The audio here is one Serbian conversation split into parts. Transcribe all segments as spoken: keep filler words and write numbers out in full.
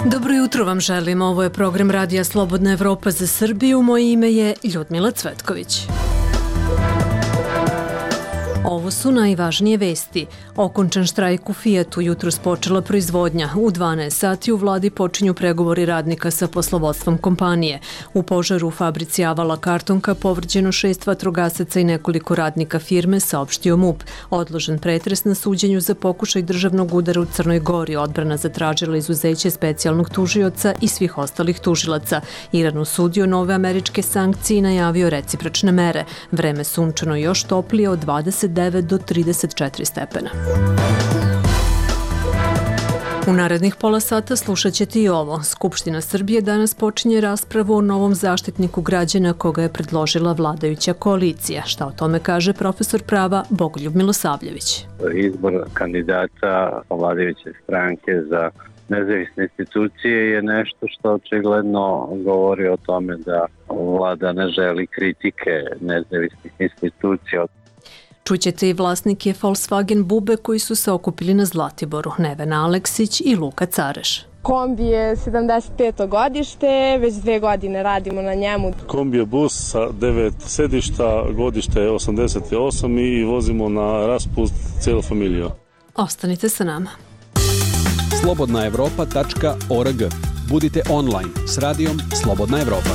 Dobro jutro vam želim, ovo je program Radija Slobodna Evropa za Srbiju, moje ime je Ljudmila Cvetković. Ovo su najvažnije vesti. Okončan štrajk u Fijatu, jutros počela proizvodnja. U dvanaest sati u vladi počinju pregovori radnika sa poslovodstvom kompanije. U požaru u fabrici Avala Kartonka povređeno šest vatrogasaca i nekoliko radnika firme, saopštio MUP. Odložen pretres na suđenju za pokušaj državnog udara u Crnoj Gori. Odbrana zatražila izuzeće specijalnog tužioca i svih ostalih tužilaca. Iran osudio nove američke sankcije i najavio recipročne mere. Vreme sunčano još toplije od dvadeset devet do trideset četiri stepena. U narednih pola sata slušat ćete i ovo. Skupština Srbije danas počinje raspravu o novom zaštitniku građana koga je predložila vladajuća koalicija. Šta o tome kaže profesor prava Bogoljub Milosavljević? Izbor kandidata vladajuće stranke za nezavisne institucije je nešto što očigledno govori o tome da vlada ne želi kritike nezavisnih institucija. Čućete i vlasnike Volkswagen Bube koji su se okupili na Zlatiboru, Nevena Aleksić i Luka Careš. Kombi je sedamdeset peto godište, već dve godine radimo na njemu. Kombi je bus sa devet sedišta, godište je osamdeset osam i vozimo na raspust cijelu familiju. Ostanite sa nama. slobodna evropa tačka org. Budite online s radijom Slobodna Evropa.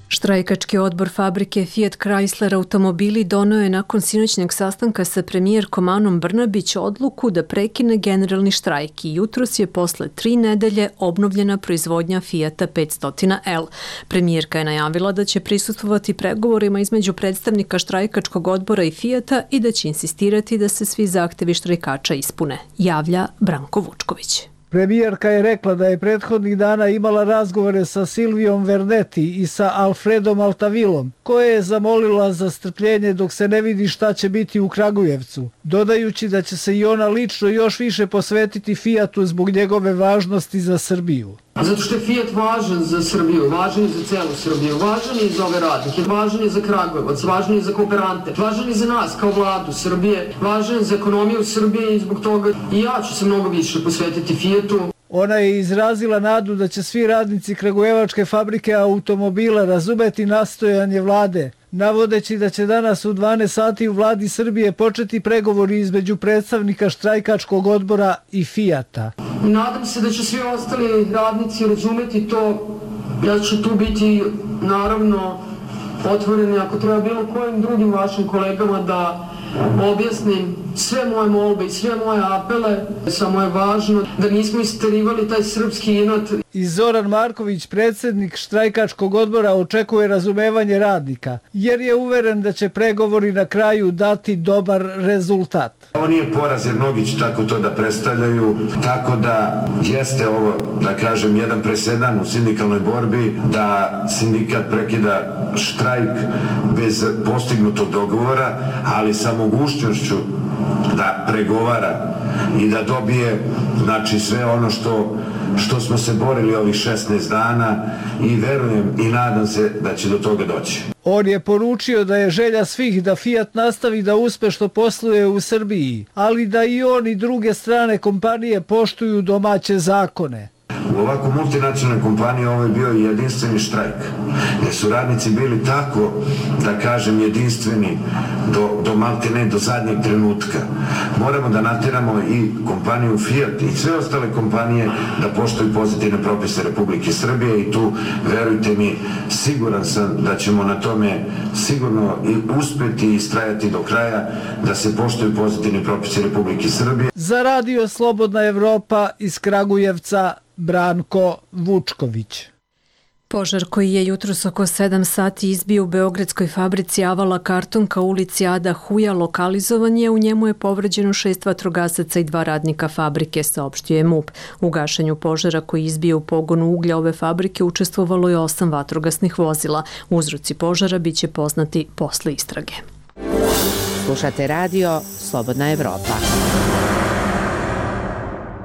Štrajkački odbor fabrike Fiat Chrysler automobili doneo je nakon sinoćnjeg sastanka sa premijerkom Anom Brnabić odluku da prekine generalni štrajk i jutros je posle tri nedelje obnovljena proizvodnja Fiata petsto L. Premijerka je najavila da će prisustvovati pregovorima između predstavnika štrajkačkog odbora i Fiata i da će insistirati da se svi zahtevi štrajkača ispune, javlja Branko Vučković. Premijerka je rekla da je prethodnih dana imala razgovore sa Silvijom Vernetti i sa Alfredom Altavilom, koje je zamolila za strpljenje dok se ne vidi šta će biti u Kragujevcu, dodajući da će se i ona lično još više posvetiti Fiatu zbog njegove važnosti za Srbiju. Zato što je Fiat važan za Srbiju, važan je za celu Srbiju, važan je za ove radnike, važan je za Kragujevac, važan je za kooperante, važan je za nas kao vladu Srbije, važan je za ekonomiju Srbije i zbog toga i ja ću se mnogo više posvetiti Fiatu. Ona je izrazila nadu da će svi radnici Kragujevačke fabrike automobila razumeti nastojanje vlade, navodeći da će danas u dvanaest sati u vladi Srbije početi pregovori između predstavnika štrajkačkog odbora i Fiata. Nadam se da će svi ostali radnici razumeti to. Ja ću tu biti naravno otvoreni ako treba bilo kojim drugim vašim kolegama da objasnim sve moje molbe i sve moje apele. Samo je važno da nismo isterivali taj srpski inat. I Zoran Marković, predsjednik štrajkačkog odbora, očekuje razumevanje radnika, jer je uveren da će pregovori na kraju dati dobar rezultat. Ovo nije poraz jer mnogi će tako to da predstavljaju, tako da jeste ovo, da kažem, jedan presedan u sindikalnoj borbi, da sindikat prekida štrajk bez postignutog dogovora, ali sa mogućnošću da pregovara i da dobije, znači, sve ono što što smo se borili ovih šesnaest dana i verujem i nadam se da će do toga doći. On je poručio da je želja svih da Fiat nastavi da uspešno posluje u Srbiji, ali da i on i druge strane kompanije poštuju domaće zakone. U ovako multinacionalnoj kompaniji ovo je bio jedinstveni štrajk, jer su radnici bili tako, da kažem, jedinstveni do, do maltene, do zadnjeg trenutka. Moramo da nateramo i kompaniju Fiat i sve ostale kompanije da poštuju pozitivne propise Republike Srbije i tu, verujte mi, siguran sam da ćemo na tome sigurno i uspeti i istrajati do kraja da se poštuju pozitivni propisi Republike Srbije. Za Radio Slobodna Evropa iz Kragujevca, Branko Vučković. Požar koji je jutros oko sedam sati izbio u beogradskoj fabrici Avala Kartonka u ulici Ada Huja lokalizovan je, u njemu je povređeno šest vatrogasaca i dva radnika fabrike, saopštio je MUP. U gašenju požara koji izbio u pogonu uglja ove fabrike učestvovalo je osam vatrogasnih vozila. Uzroci požara biće poznati posle istrage. Slušate radio Slobodna Evropa.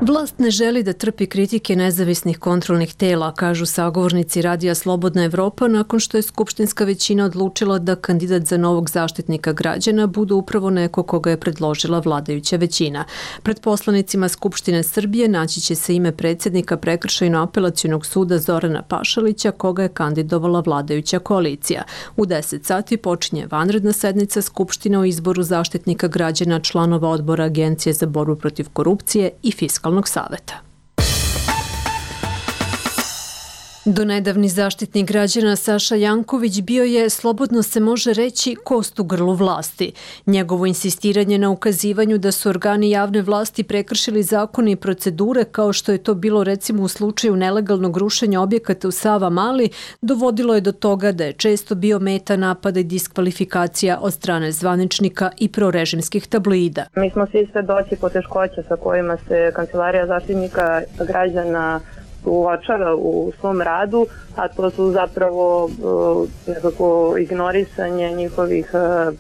Vlast ne želi da trpi kritike nezavisnih kontrolnih tela, kažu sagovornici Radija Slobodna Evropa, nakon što je skupštinska većina odlučila da kandidat za novog zaštitnika građana bude upravo neko koga je predložila vladajuća većina. Pred poslanicima Skupštine Srbije naći će se ime predsjednika Prekršajno-apelacionog suda Zorana Pašalića, koga je kandidovala vladajuća koalicija. U deset sati počinje vanredna sednica Skupštine o izboru zaštitnika građana, članova odbora Agencije za borbu protiv korupcije i fiskalnog saveta. Donedavni zaštitnik građana Saša Janković bio je, slobodno se može reći, kost u grlu vlasti. Njegovo insistiranje na ukazivanju da su organi javne vlasti prekršili zakone i procedure, kao što je to bilo recimo u slučaju nelegalnog rušenja objekata u Savamali, dovodilo je do toga da je često bio meta napada i diskvalifikacija od strane zvaničnika i prorežimskih tabloida. Mi smo svi svedoci poteškoća sa kojima se Kancelarija zaštitnika građana uočava u svom radu, a to su zapravo nekako ignorisanje njihovih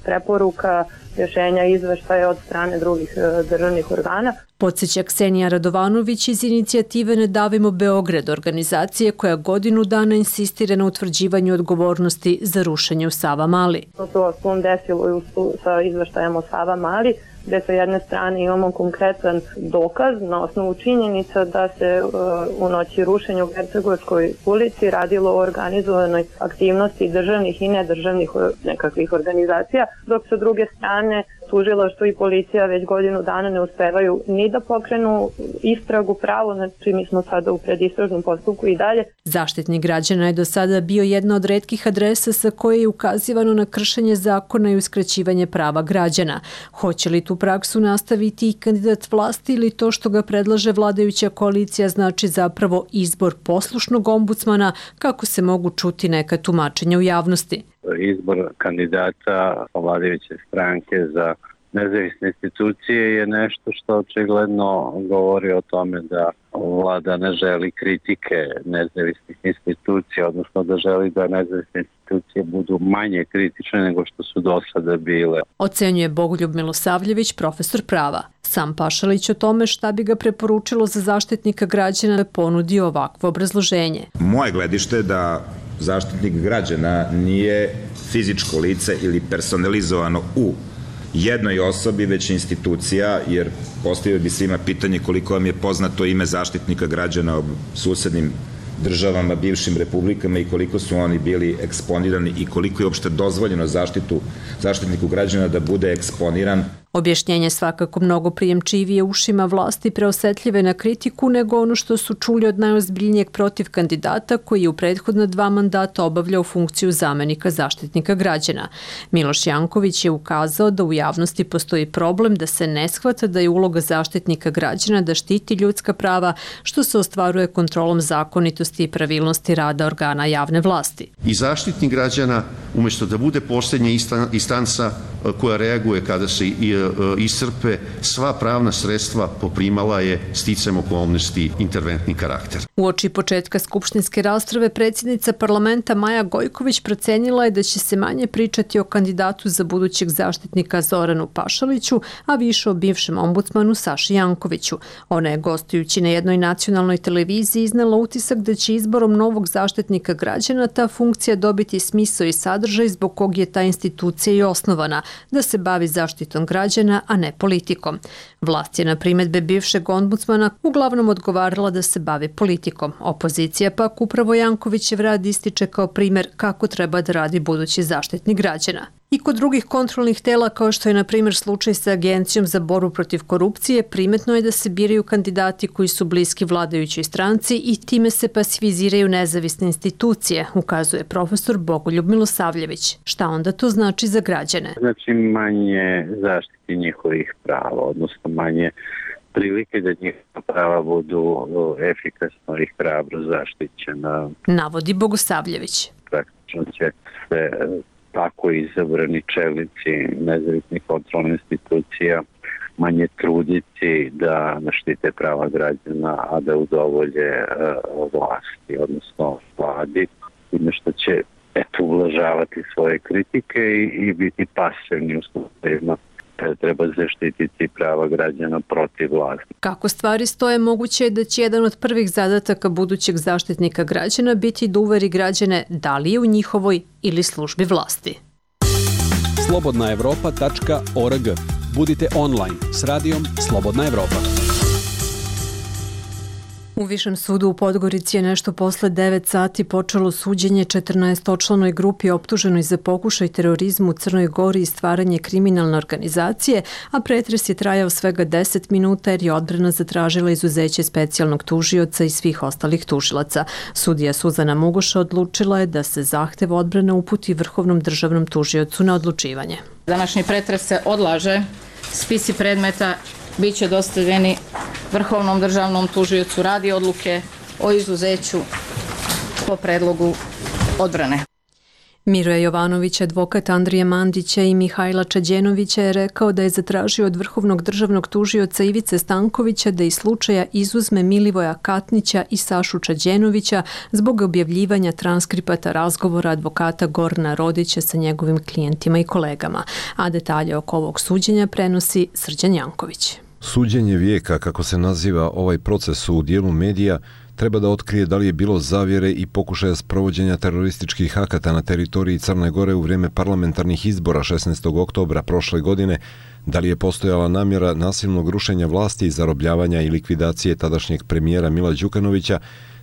preporuka, rješenja, izveštaja od strane drugih državnih organa. Podsjeća Ksenija Radovanović iz inicijative Ne davimo Beograd, organizacije koja godinu dana insistira na utvrđivanju odgovornosti za rušenje u Savamali. To se osnovom desilo sa izveštajem o Savamali, gde sa jedne strane imamo konkretan dokaz na osnovu činjenica da se uh, u noći rušenja u Hercegovskoj ulici radilo o organizovanoj aktivnosti državnih i nedržavnih nekakvih organizacija, dok sa druge strane tužilaštvo i policija već godinu dana ne uspevaju ni da pokrenu istragu pravo, znači mi smo sada u predistražnom postupku i dalje. Zaštitnik građana je do sada bio jedna od retkih adresa sa koje je ukazivano na kršenje zakona i uskraćivanje prava građana. Hoće li tu praksu nastaviti i kandidat vlasti ili to što ga predlaže vladajuća koalicija znači zapravo izbor poslušnog ombudsmana, kako se mogu čuti neka tumačenja u javnosti? Izbor kandidata vladajuće stranke za nezavisne institucije je nešto što očigledno govori o tome da vlada ne želi kritike nezavisnih institucija, odnosno da želi da nezavisne institucije budu manje kritične nego što su do sada bile. Ocenjuje Bogoljub Milosavljević, profesor prava. Sam Pašalić o tome šta bi ga preporučilo za zaštitnika građana ponudio ovakvo obrazloženje. Moje gledište je da zaštitnik građana nije fizičko lice ili personalizovano u jednoj osobi, već institucija, jer postavio bi svima pitanje koliko vam je poznato ime zaštitnika građana u susednim državama, bivšim republikama i koliko su oni bili eksponirani i koliko je uopšte dozvoljeno zaštitu, zaštitniku građana da bude eksponiran. Objašnjenje svakako mnogo prijemčivije ušima vlasti, preosetljive na kritiku nego ono što su čuli od najozbiljnijeg protiv kandidata koji je u prethodna dva mandata obavljao funkciju zamenika zaštitnika građana. Miloš Janković je ukazao da u javnosti postoji problem da se ne shvata da je uloga zaštitnika građana da štiti ljudska prava, što se ostvaruje kontrolom zakonitosti i pravilnosti rada organa javne vlasti. I zaštitnik građana, umjesto da bude posljednja instanca koja reaguje kada se i iscrpe sva pravna sredstva, poprimala je sticam okolnosti interventni karakter. Uoči početka skupštinske rasprave predsjednica parlamenta Maja Gojković procenila je da će se manje pričati o kandidatu za budućeg zaštitnika Zoranu Pašaliću, a više o bivšem ombudsmanu Saši Jankoviću. Ona je gostujući na jednoj nacionalnoj televiziji iznela utisak da će izborom novog zaštitnika građana ta funkcija dobiti smisao i sadržaj zbog kog je ta institucija i osnovana, da se bavi zaštitom građana, a ne politikom. Vlast je na primjedbe bivšeg ombudsmana uglavnom odgovarala da se bavi politikom. Opozicija pak upravo Jankovićev rad ističe kao primjer kako treba da radi budući zaštitnik građana. I kod drugih kontrolnih tela, kao što je na primjer slučaj sa Agencijom za borbu protiv korupcije, primetno je da se biraju kandidati koji su bliski vladajućoj stranci i time se pasiviziraju nezavisne institucije, ukazuje profesor Bogoljub Milosavljević. Šta onda to znači za građane? Znači manje zaštiti njihovih prava, odnosno manje prilike da njihova prava budu efikasno i hrabro zaštićena. Navodi Bogosavljević. Praktično će se tako izabrani čelnici nezavisnih kontrolnih institucija manje truditi da naštite prava građana, a da udovolje uh, vlasti, odnosno vladi, time što će eto ublažavati svoje kritike i, i biti pasivni u slučajima kada treba zaštititi prava građana protiv vlasti. Kako stvari stoje, moguće je da će jedan od prvih zadataka budućeg zaštitnika građana biti da uveri građane da li je u njihovoj ili službi vlasti. slobodna evropa tačka org. Budite online s radijom Slobodna Evropa. U Višem sudu u Podgorici je nešto posle devet sati počelo suđenje četrnaestočlanoj grupi optuženoj za pokušaj terorizma u Crnoj Gori i stvaranje kriminalne organizacije, a pretres je trajao svega deset minuta jer je odbrana zatražila izuzeće specijalnog tužioca i svih ostalih tužilaca. Sudija Suzana Mugoša odlučila je da se zahtev odbrane uputi Vrhovnom državnom tužiocu na odlučivanje. Današnji pretres se odlaže, spisi predmeta biće dostavljeni Vrhovnom državnom tužiocu radi odluke o izuzeću po predlogu odbrane. Miroje Jovanović, advokat Andrije Mandića i Mihajla Čađenovića je rekao da je zatražio od Vrhovnog državnog tužioca Ivice Stankovića da iz slučaja izuzme Milivoja Katnića i Sašu Čađenovića zbog objavljivanja transkripata razgovora advokata Gorana Rodića sa njegovim klijentima i kolegama. A detalje oko ovog suđenja prenosi Srđan Janković. Suđenje vijeka, kako se naziva ovaj proces u dijelu medija, treba da otkrije da li je bilo zavjere i pokušaja sprovođenja terorističkih akata na teritoriji Crne Gore u vrijeme parlamentarnih izbora šesnaestog oktobra prošle godine, da li je postojala namjera nasilnog rušenja vlasti i zarobljavanja i likvidacije tadašnjeg premijera Mila Đukanovića,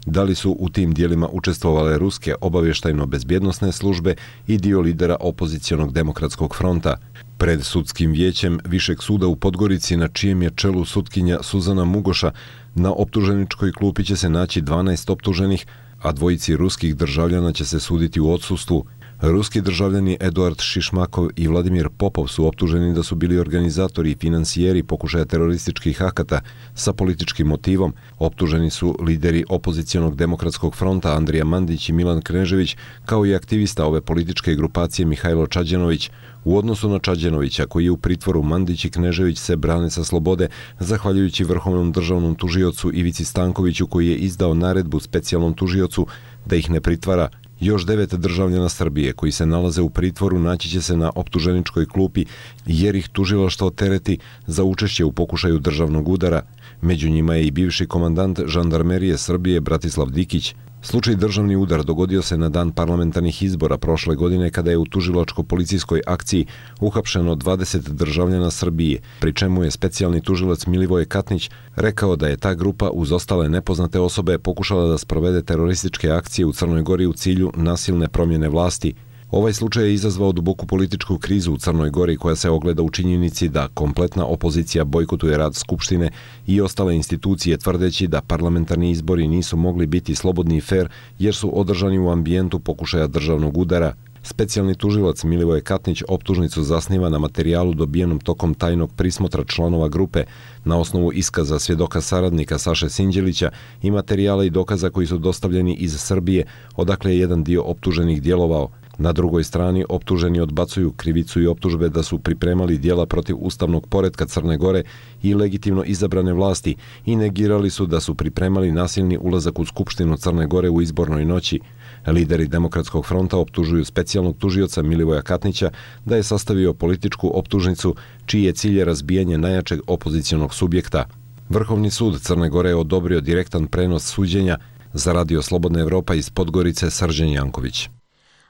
da li su u tim dijelima učestvovale ruske obavještajno-bezbjednosne službe i dio lidera opozicionog demokratskog fronta. Pred sudskim vijećem Višeg suda u Podgorici, na čijem je čelu sutkinja Suzana Mugoša, na optuženičkoj klupi će se naći dvanaest optuženih, a dvojici ruskih državljana će se suditi u odsustvu. Ruski državljani Eduard Šišmakov i Vladimir Popov su optuženi da su bili organizatori i finansijeri pokušaja terorističkih akata sa političkim motivom. Optuženi su lideri opozicionog demokratskog fronta Andrija Mandić i Milan Knežević, kao i aktivista ove političke grupacije Mihajlo Čađenović. U odnosu na Čađenovića, koji je u pritvoru, Mandić i Knežević se brane sa slobode, zahvaljujući Vrhovnom državnom tužiocu Ivici Stankoviću, koji je izdao naredbu specijalnom tužiocu da ih ne pritvara. Još devet državljana Srbije koji se nalaze u pritvoru naći će se na optuženičkoj klupi jer ih tužilaštvo tereti za učešće u pokušaju državnog udara. Među njima je i bivši komandant žandarmerije Srbije Bratislav Dikić. Slučaj državni udar dogodio se na dan parlamentarnih izbora prošle godine kada je u tužilačko-policijskoj akciji uhapšeno dvadeset državljana Srbije, pri čemu je specijalni tužilac Milivoje Katnić rekao da je ta grupa uz ostale nepoznate osobe pokušala da sprovede terorističke akcije u Crnoj Gori u cilju nasilne promjene vlasti. Ovaj slučaj je izazvao duboku političku krizu u Crnoj Gori koja se ogleda u činjenici da kompletna opozicija bojkotuje rad Skupštine i ostale institucije tvrdeći da parlamentarni izbori nisu mogli biti slobodni i fer jer su održani u ambijentu pokušaja državnog udara. Specijalni tužilac Milivoje Katnić optužnicu zasniva na materijalu dobijenom tokom tajnog prismotra članova grupe na osnovu iskaza svjedoka saradnika Saše Sinđelića i materijala i dokaza koji su dostavljeni iz Srbije, odakle je jedan dio optuženih djelovao. Na drugoj strani optuženi odbacuju krivicu i optužbe da su pripremali djela protiv ustavnog poretka Crne Gore i legitimno izabrane vlasti i negirali su da su pripremali nasilni ulazak u Skupštinu Crne Gore u izbornoj noći. Lideri Demokratskog fronta optužuju specijalnog tužioca Milivoja Katnića da je sastavio političku optužnicu čiji je cilj razbijanje najjačeg opozicionog subjekta. Vrhovni sud Crne Gore je odobrio direktan prenos suđenja. Za Radio Slobodna Evropa iz Podgorice, Srđan Janković.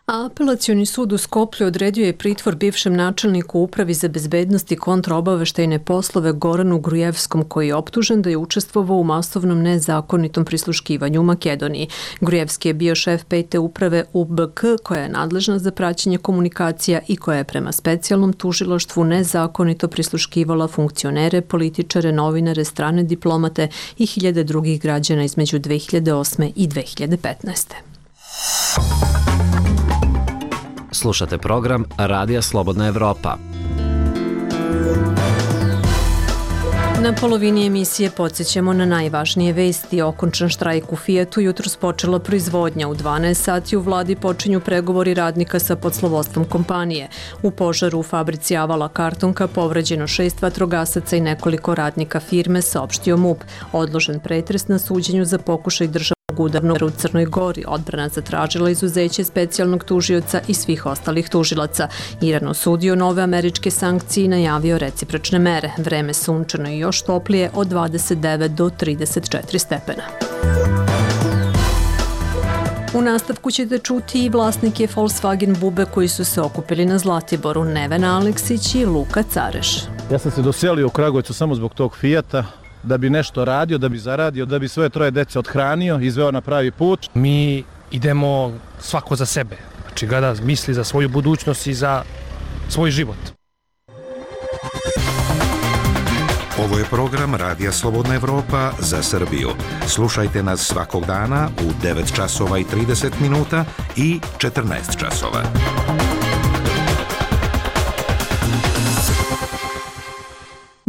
A apelacioni sud u Skoplju odredio je pritvor bivšem načelniku Upravi za bezbednost i kontraobaveštajne poslove Goranu Grujevskom, koji je optužen da je učestvovao u masovnom nezakonitom prisluškivanju u Makedoniji. Grujevski je bio šef pete uprave U B K, koja je nadležna za praćenje komunikacija i koja je prema specijalnom tužilaštvu nezakonito prisluškivala funkcionere, političare, novinare, strane diplomate i hiljade drugih građana između dve hiljade osme i dve hiljade petnaeste. Slušate program Radija Slobodna Evropa. Na polovini emisije podsjećamo na najvažnije vesti. Okončan štrajk u Fijatu, jutros počela proizvodnja. U dvanaest sati u vladi počinju pregovori radnika sa poslovodstvom kompanije. U požaru u fabrici Avala Kartonka povređeno šest vatrogasaca i nekoliko radnika firme, saopštio M U P. Odložen pretres na suđenju za pokušaj državnog novog udarnog u Crnoj Gori. Odbrana zatražila izuzeće specijalnog tužioca i svih ostalih tužilaca. Iran osudio nove američke sankcije i najavio recipročne mere. Vreme sunčano i još toplije od dvadeset devet do trideset četiri stepena. U nastavku ćete čuti i vlasnike Volkswagen Bube koji su se okupili na Zlatiboru, Nevena Aleksić i Luka Careš. Ja sam se doselio u Kragujevcu samo zbog tog Fijata, da bi nešto radio, da bi zaradio, da bi svoje troje dece odhranio, izveo na pravi put. Mi idemo svako za sebe, znači kada misli za svoju budućnost i za svoj život. Ovo je program Radija Slobodna Evropa za Srbiju. Slušajte nas svakog dana u devet časova i trideset minuta i četrnaest časova.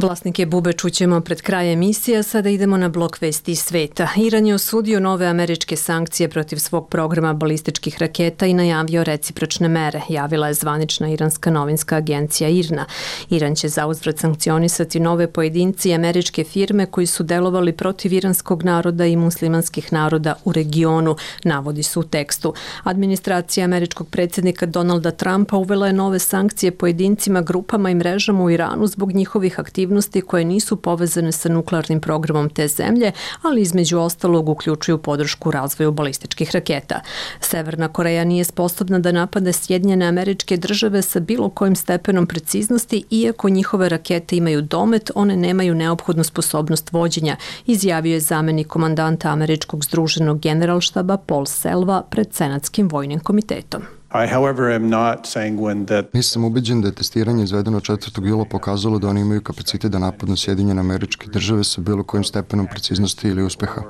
Vlasnike Bube čućemo pred kraj emisije, sada idemo na blok vesti iz sveta. Iran je osudio nove američke sankcije protiv svog programa balističkih raketa i najavio recipročne mere, javila je zvanična iranska novinska agencija I R N A. Iran će zauzvrat sankcionisati nove pojedinci i američke firme koji su delovali protiv iranskog naroda i muslimanskih naroda u regionu, navodi su u tekstu. Administracija američkog predsjednika Donalda Trumpa uvela je nove sankcije pojedincima, grupama i mrežama u Iranu zbog njihovih aktivnosti koje nisu povezane sa nuklearnim programom te zemlje, ali između ostalog uključuju podršku razvoju balističkih raketa. Severna Koreja nije sposobna da napade Sjedinjene Američke Države sa bilo kojim stepenom preciznosti, iako njihove rakete imaju domet, one nemaju neophodnu sposobnost vođenja, izjavio je zamenik komandanta američkog združenog generalštaba Paul Selva pred Senatskim vojnim komitetom. I, however, am not sanguine that... Nisam ubeđen da je testiranje izvedeno četvrtog jula pokazalo da oni imaju kapacitet da napadnu Sjedinjene Američke Države sa bilo kojim stepenom preciznosti ili uspeha.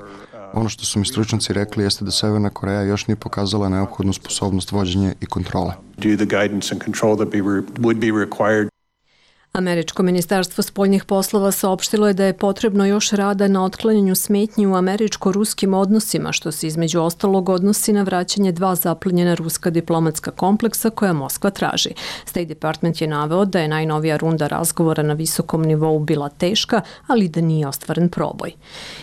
Ono što su mi stručnjaci rekli jeste da Severna Koreja još nije pokazala neophodnu sposobnost vođenja i kontrole. Do the guidance and control that be re, would be required. Američko ministarstvo spoljnih poslova saopštilo je da je potrebno još rada na otklanjanju smetnji u američko-ruskim odnosima, što se između ostalog odnosi na vraćanje dva zaplenjena ruska diplomatska kompleksa koja Moskva traži. State Department je naveo da je najnovija runda razgovora na visokom nivou bila teška, ali da nije ostvaren proboj.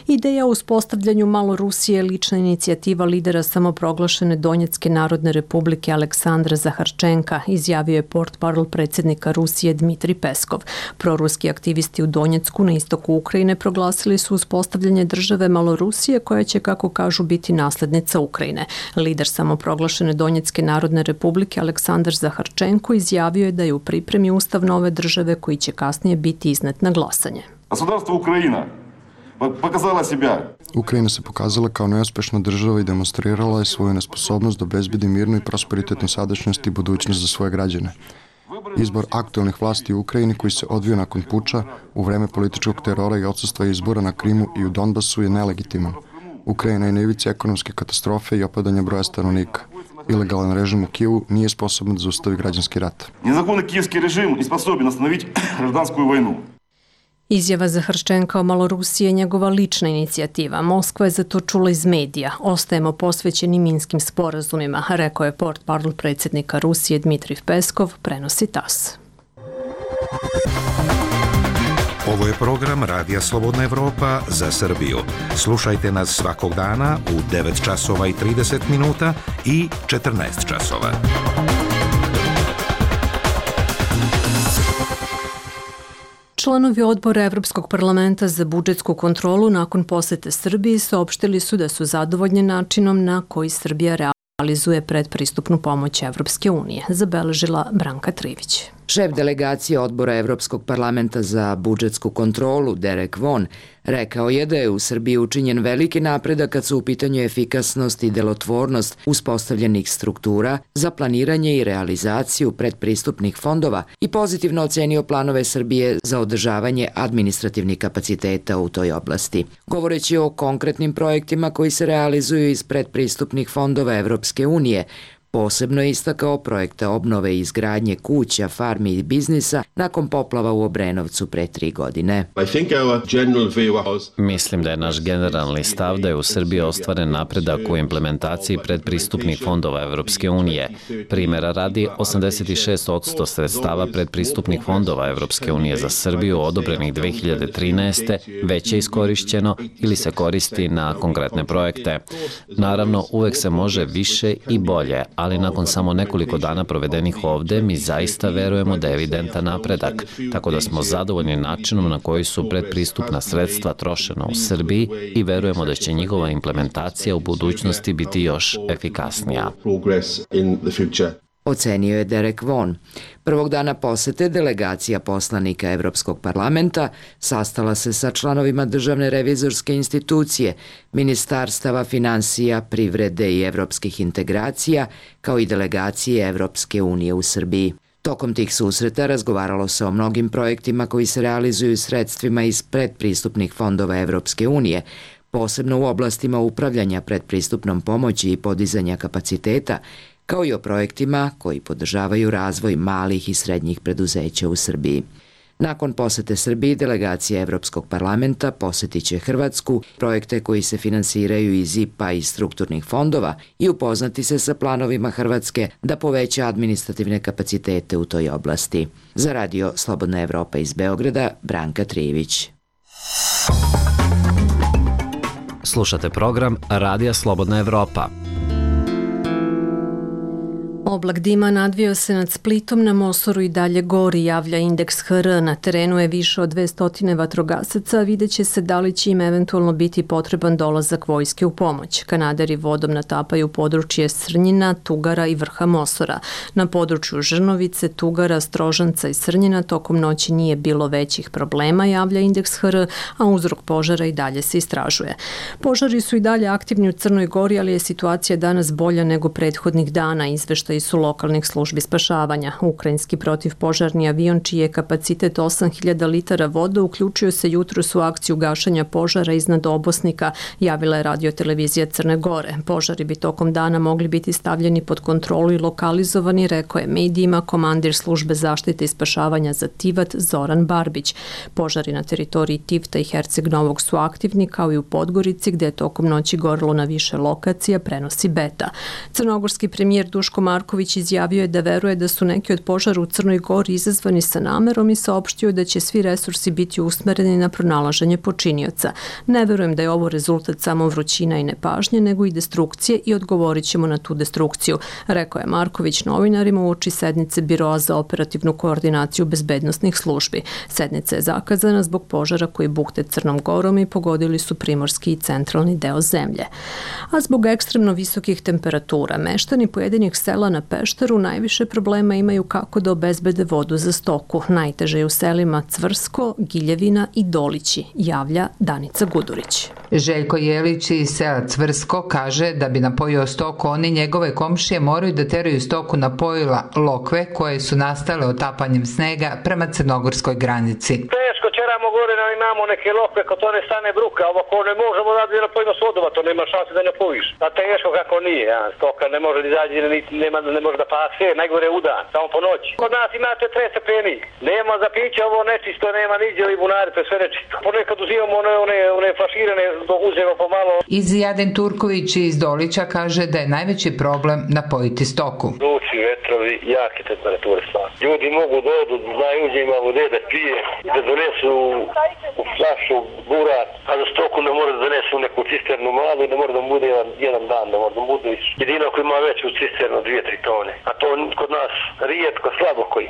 Ideja o uspostavljanju malo Rusije je lična inicijativa lidera samoproglašene Donjecke narodne republike Aleksandra Zaharčenka, izjavio je portparol predsjednika Rusije Dmitri Peskov. Proruski aktivisti u Donjecku na istoku Ukrajine proglasili su uspostavljanje države Malorusije koja će, kako kažu, biti naslednica Ukrajine. Lider samoproglašene Donjecke narodne republike Aleksandar Zaharčenko izjavio je da je u pripremi ustav nove države koji će kasnije biti iznet na glasanje. Государство Украина показала себя. Ukrajina se pokazala kao neuspešna država i demonstrirala je svoju nesposobnost da obezbedi mirnu i prosperitetnu sadašnjost i budućnost za svoje građane. Izbor aktualnih vlasti u Ukrajini koji se odvio nakon puča u vreme političkog terora i odsustva izbora na Krimu i u Donbasu je nelegitiman. Ukrajina je na ivici ekonomske katastrofe i opadanja broja stanovnika. Ilegalan režim u Kijevu nije sposoban da zaustavi građanski rat. Незаконный киевский режим не способен остановить гражданскую войну. Izjava Zaharčenka o Malorusiji je njegova lična inicijativa. Moskva je za to čula iz medija. Ostajemo posvećeni minskim sporazumima, rekao je portparol predsjednika Rusije Dmitrij Peskov, prenosi TAS. Ovo je program Radija Slobodna Evropa za Srbiju. Slušajte nas svakog dana u devet časova i trideset minuta i četrnaest časova. Članovi odbora Evropskog parlamenta za budžetsku kontrolu nakon posete Srbiji saopštili su da su zadovoljni načinom na koji Srbija realizuje predpristupnu pomoć Evropske unije, zabeležila Branka Trivić. Šef delegacije odbora Evropskog parlamenta za budžetsku kontrolu, Derek Vaughan, rekao je da je u Srbiji učinjen veliki napredak kad su u pitanju efikasnost i delotvornost uspostavljenih struktura za planiranje i realizaciju predpristupnih fondova i pozitivno ocenio planove Srbije za održavanje administrativnih kapaciteta u toj oblasti. Govoreći o konkretnim projektima koji se realizuju iz predpristupnih fondova Evropske unije, Posebno je istakao projekte obnove i izgradnje kuća, farmi i biznisa nakon poplava u Obrenovcu pre tri godine. Mislim da je naš generalni stav da je u Srbiji ostvaren napredak u implementaciji predpristupnih fondova Evropske unije. Primera radi, osamdeset šest posto sredstava predpristupnih fondova Evropske unije za Srbiju odobrenih dve hiljade trinaeste. već je iskorišćeno ili se koristi na konkretne projekte. Naravno, uvek se može više i bolje, ali nakon samo nekoliko dana provedenih ovde, mi zaista verujemo da je evidentan napredak, tako da smo zadovoljni načinom na koji su predpristupna sredstva trošena u Srbiji i verujemo da će njihova implementacija u budućnosti biti još efikasnija. Ocenio je Derek Vaughan. Prvog dana posete delegacija poslanika Evropskog parlamenta sastala se sa članovima Državne revizorske institucije, ministarstava finansija, privrede i evropskih integracija, kao i delegacije Evropske unije u Srbiji. Tokom tih susreta razgovaralo se o mnogim projektima koji se realizuju sredstvima iz predpristupnih fondova Evropske unije, posebno u oblastima upravljanja predpristupnom pomoći i podizanja kapaciteta, kao i o projektima koji podržavaju razvoj malih i srednjih preduzeća u Srbiji. Nakon posete Srbiji, delegacija Evropskog parlamenta posetit će Hrvatsku, projekte koji se finansiraju iz I P A i strukturnih fondova i upoznati se sa planovima Hrvatske da poveća administrativne kapacitete u toj oblasti. Za radio Slobodna Evropa iz Beograda, Branka Trijević. Slušate program Radija Slobodna Evropa. Oblak dima nadvio se nad Splitom, na Mosoru i dalje gori, javlja indeks H R. Na terenu je više od dvesta vatrogasaca, a vidjet će se da li će im eventualno biti potreban dolazak vojske u pomoć. Kanaderi vodom natapaju područje Srnjina, Tugara i vrha Mosora. Na području Žrnovice, Tugara, Strožanca i Srnjina tokom noći nije bilo većih problema, javlja indeks H R, a uzrok požara i dalje se istražuje. Požari su i dalje aktivni u Crnoj Gori, ali je situacija danas bolja nego prethodnih dana, izveštaj su lokalnih službi spašavanja. Ukrajinski protivpožarni avion, čiji je kapacitet osam hiljada litara vode, uključio se jutros u akciju gašenja požara iznad Obosnika, javila je radiotelevizija Crne Gore. Požari bi tokom dana mogli biti stavljeni pod kontrolu i lokalizovani, rekao je medijima komandir službe zaštite i spašavanja za Tivat Zoran Barbić. Požari na teritoriji Tivta i Herceg Novog su aktivni, kao i u Podgorici, gde je tokom noći gorelo na više lokacija, prenosi Beta. Crnogorski premijer Duško Marković izjavio je da veruje da su neki od požara u Crnoj Gori izazvani sa namerom i saopštio da će svi resursi biti usmereni na pronalaženje počinioca. Ne verujem da je ovo rezultat samo vrućina i nepažnje, nego i destrukcije i odgovorit ćemo na tu destrukciju, rekao je Marković novinarima uoči sednice Biroa za operativnu koordinaciju bezbednosnih službi. Sednica je zakazana zbog požara koji bukte Crnom Gorom i pogodili su primorski i centralni deo zemlje. A zbog ekstremno visokih temperatura, meštani pojedinih sela na Pešteru najviše problema imaju kako da obezbede vodu za stoku. Najteže je u selima Cvrsko, Giljevina i Dolići, javlja Danica Gudurić. Željko Jelić iz sela Cvrsko kaže da bi napojio stoku, oni njegove komšije moraju da teraju stoku na pojila lokve koje su nastale otapanjem snega prema crnogorskoj granici. Teško ćeramo gore, imamo neke lokve, ko to ne stane bruka, ovo ko ne možemo da bi napojimo s vodova, to nema šanse da napojiš. A teško kako nije, ja. Stoka ne može da izađe, nema, ne može da pase, najgore u dan, samo po noći. Kod nas imate tre stepeni, nema za piće, ovo nečisto, nema niđe i bunari, to je sve nečisto. Ponekad uzimamo one, one, one flaširane, uzemo pomalo. Izjaden Turković iz Dolića kaže da je najveći problem napojiti stoku. Luci, vetrovi, jake temperature stvari. Ljudi mogu da odu, znaju uđe ima vode da pije, da donesu u flašu burat, a za stoku ne mora da donesu neku cisternu malu i ne mora da mu bude jedan, jedan dan, da mora da mu bude jedino ako ima veću cisternu, dvije, tri tone. A to kod nas rijetko, slabo koji.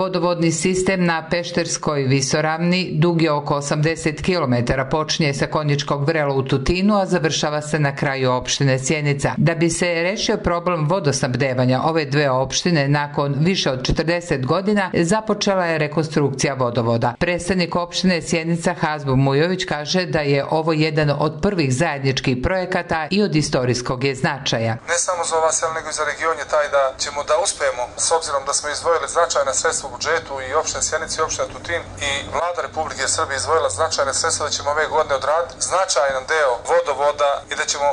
Vodovodni sistem na Pešterskoj visoravni dug je oko osamdeset kilometara, počinje sa Konjičkog vrela u Tutinu, a završava se na kraju opštine Sjenica. Da bi se rešio problem vodosnabdevanja ove dve opštine, opštine nakon više od četrdeset godina započela je rekonstrukcija vodovoda. Predstavnik opštine Sjenica Hazbo Mujović kaže da je ovo jedan od prvih zajedničkih projekata i od istorijskog je značaja. Ne samo za ova sela, nego i za region je taj da ćemo da uspijemo, s obzirom da smo izdvojili značajna sredstva u budžetu i opštine Sjenica i opština Tutin i vlada Republike Srbije izdvojila značajne sredstva da ćemo ove godine odraditi značajan deo vodovoda i da ćemo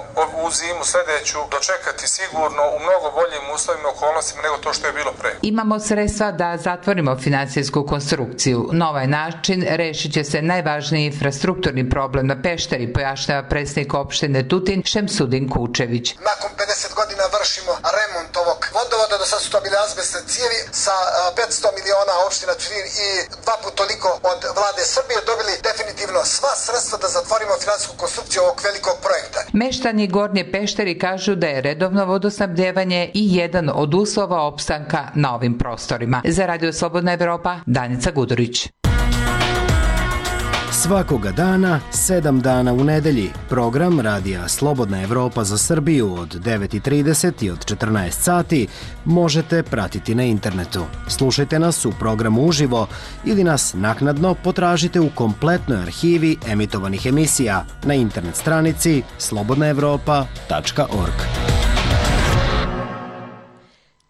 u zimu sljedeću dočekati sigurno u mnogo boljim uslovima i okolnostima nego to što je bilo pre. Imamo sredstva da zatvorimo finansijsku konstrukciju. Na ovaj način rešit će se najvažniji infrastrukturni problem na Pešteri, pojašnjava predsjednik opštine Tutin Šemsudin Kučević. Nakon pedeset godina vršimo remont ovog vodovoda, do sad su to bile azbestne cijevi sa petsto miliona opština Tutin i dva put toliko od vlade Srbije dobili definitivno sva sredstva da zatvorimo finansijsku konstrukciju ovog velikog projekta. Meštani Gornje Pešteri kažu da je redovno vodosnabdevanje i jedan od uslova opstanka na ovim prostorima. Za Radio Slobodna Evropa, Danica Gudurić. Svakoga dana, sedam dana u nedelji, program Radija Slobodna Evropa za Srbiju od devet i trideset i od četrnaest sati možete pratiti na internetu. Slušajte nas u programu uživo ili nas naknadno potražite u kompletnoj arhivi emitovanih emisija na internet stranici slobodna evropa tačka org.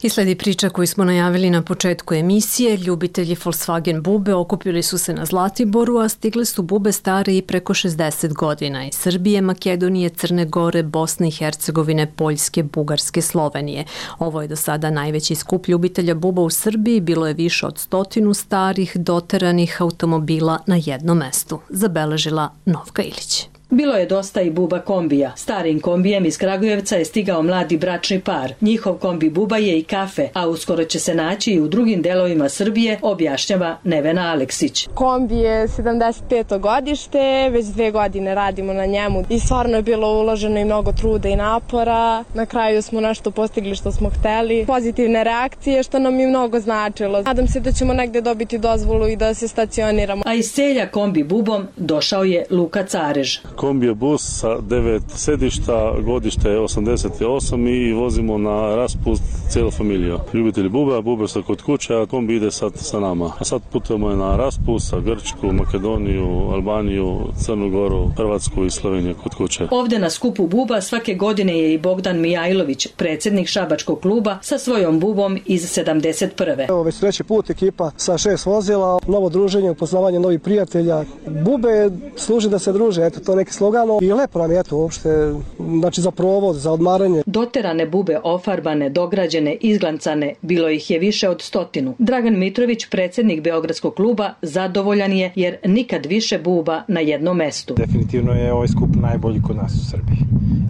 I sledi priča koju smo najavili na početku emisije. Ljubitelji Volkswagen bube okupili su se na Zlatiboru, a stigle su bube stare i preko šezdeset godina iz Srbije, Makedonije, Crne Gore, Bosne i Hercegovine, Poljske, Bugarske, Slovenije. Ovo je do sada najveći skup ljubitelja buba u Srbiji. Bilo je više od stotinu starih, doteranih automobila na jednom mestu, zabeležila Novka Ilić. Bilo je dosta i buba kombija. Starim kombijem iz Kragujevca je stigao mladi bračni par. Njihov kombi buba je i kafe, a uskoro će se naći i u drugim delovima Srbije, objašnjava Nevena Aleksić. Kombi je sedamdeset peto godište, već dve godine radimo na njemu i stvarno je bilo uloženo i mnogo truda i napora. Na kraju smo nešto postigli što smo hteli. Pozitivne reakcije što nam je mnogo značilo. Nadam se da ćemo negde dobiti dozvolu i da se stacioniramo. A iz Celja kombi bubom došao je Luka Carež. Kombi je bus sa devet sedišta, godište je osamdeset osam i vozimo na raspust cijelu familiju. Ljubitelji bube, bube su kod kuće, a kombi ide sad sa nama. A sad putujemo na raspust sa Grčku, Makedoniju, Albaniju, Crnu Goru, Hrvatsku i Sloveniju kod kuće. Ovde na skupu buba svake godine je i Bogdan Mijajlović, predsjednik šabačkog kluba, sa svojom bubom iz sedamdeset prve. Evo već treći put ekipa sa šest vozila, novo druženje, upoznavanje novih prijatelja. Bube služi da se druže, eto to neki slogano i lepo nam je to uopšte, znači za provod, za odmaranje. Doterane bube ofarbane, dograđene, izglancane, bilo ih je više od stotinu. Dragan Mitrović, predsjednik Beogradskog kluba, zadovoljan je jer nikad više buba na jednom mestu. Definitivno je ovaj skup najbolji kod nas u Srbiji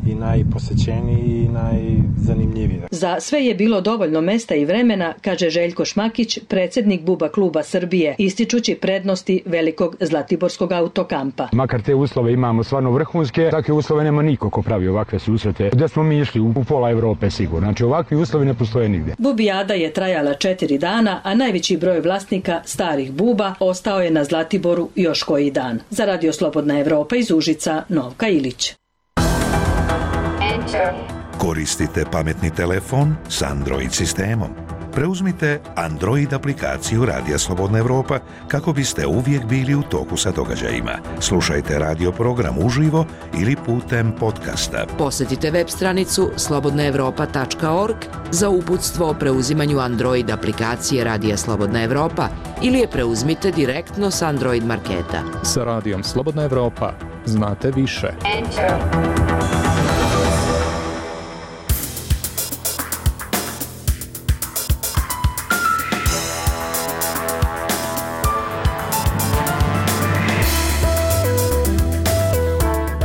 i najposećeniji i najzanimljiviji. Za sve je bilo dovoljno mesta i vremena, kaže Željko Šmakić, predsjednik Buba kluba Srbije, ističući prednosti velikog Zlatiborskog autokampa. Makar te uslove imamo stvarno vrhunske, takve uslove nema niko ko pravi ovakve susrete. Gde smo mi išli? U pola Evrope sigurno. Znači ovakvi uslovi ne postoje nigdje. Bubijada je trajala četiri dana, a najveći broj vlasnika starih buba ostao je na Zlatiboru još koji dan. Za Radio Slobodna Evropa iz Užica, Novka Ilić. Koristite pametni telefon s Android sistemom. Preuzmite Android aplikaciju Radija Slobodna Evropa kako biste uvijek bili u toku sa događajima. Slušajte radio program uživo ili putem podcasta. Posjetite web stranicu slobodna evropa tačka org za uputstvo o preuzimanju Android aplikacije Radija Slobodna Evropa ili je preuzmite direktno s Android marketa. Sa Radijom Slobodna Evropa znate više. Enter.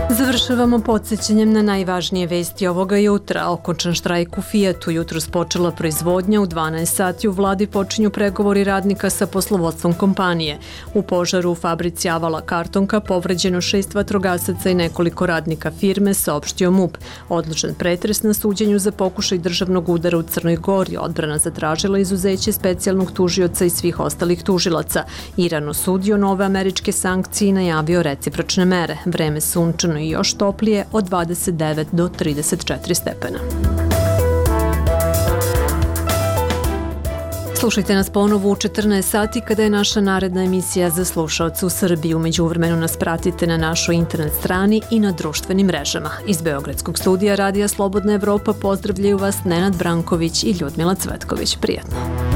Završavamo podsjećanjem na najvažnije vesti ovoga jutra. Okončan štrajk u Fijatu, jutros počela proizvodnja, u dvanaest sati u vladi počinju pregovori radnika sa poslovodstvom kompanije. U požaru u fabrici Avala Kartonka povređeno šest vatrogasaca i nekoliko radnika firme, saopštio MUP. Odložen pretres na suđenju za pokušaj državnog udara u Crnoj Gori. Odbrana zatražila izuzeće specijalnog tužioca i svih ostalih tužilaca. Iran osudio nove američke sankcije i najavio recipročne mere. Vreme sunčano i još toplije od dvadeset devet do trideset četiri stepena. Slušajte nas ponovo u četrnaest sati kada je naša naredna emisija za slušaoce u Srbiji. Umeđu vremenu nas pratite na našoj internet strani i na društvenim mrežama. Iz Beogradskog studija Radija Slobodna Evropa pozdravljaju vas Nenad Branković i Ljudmila Cvetković. Prijatno.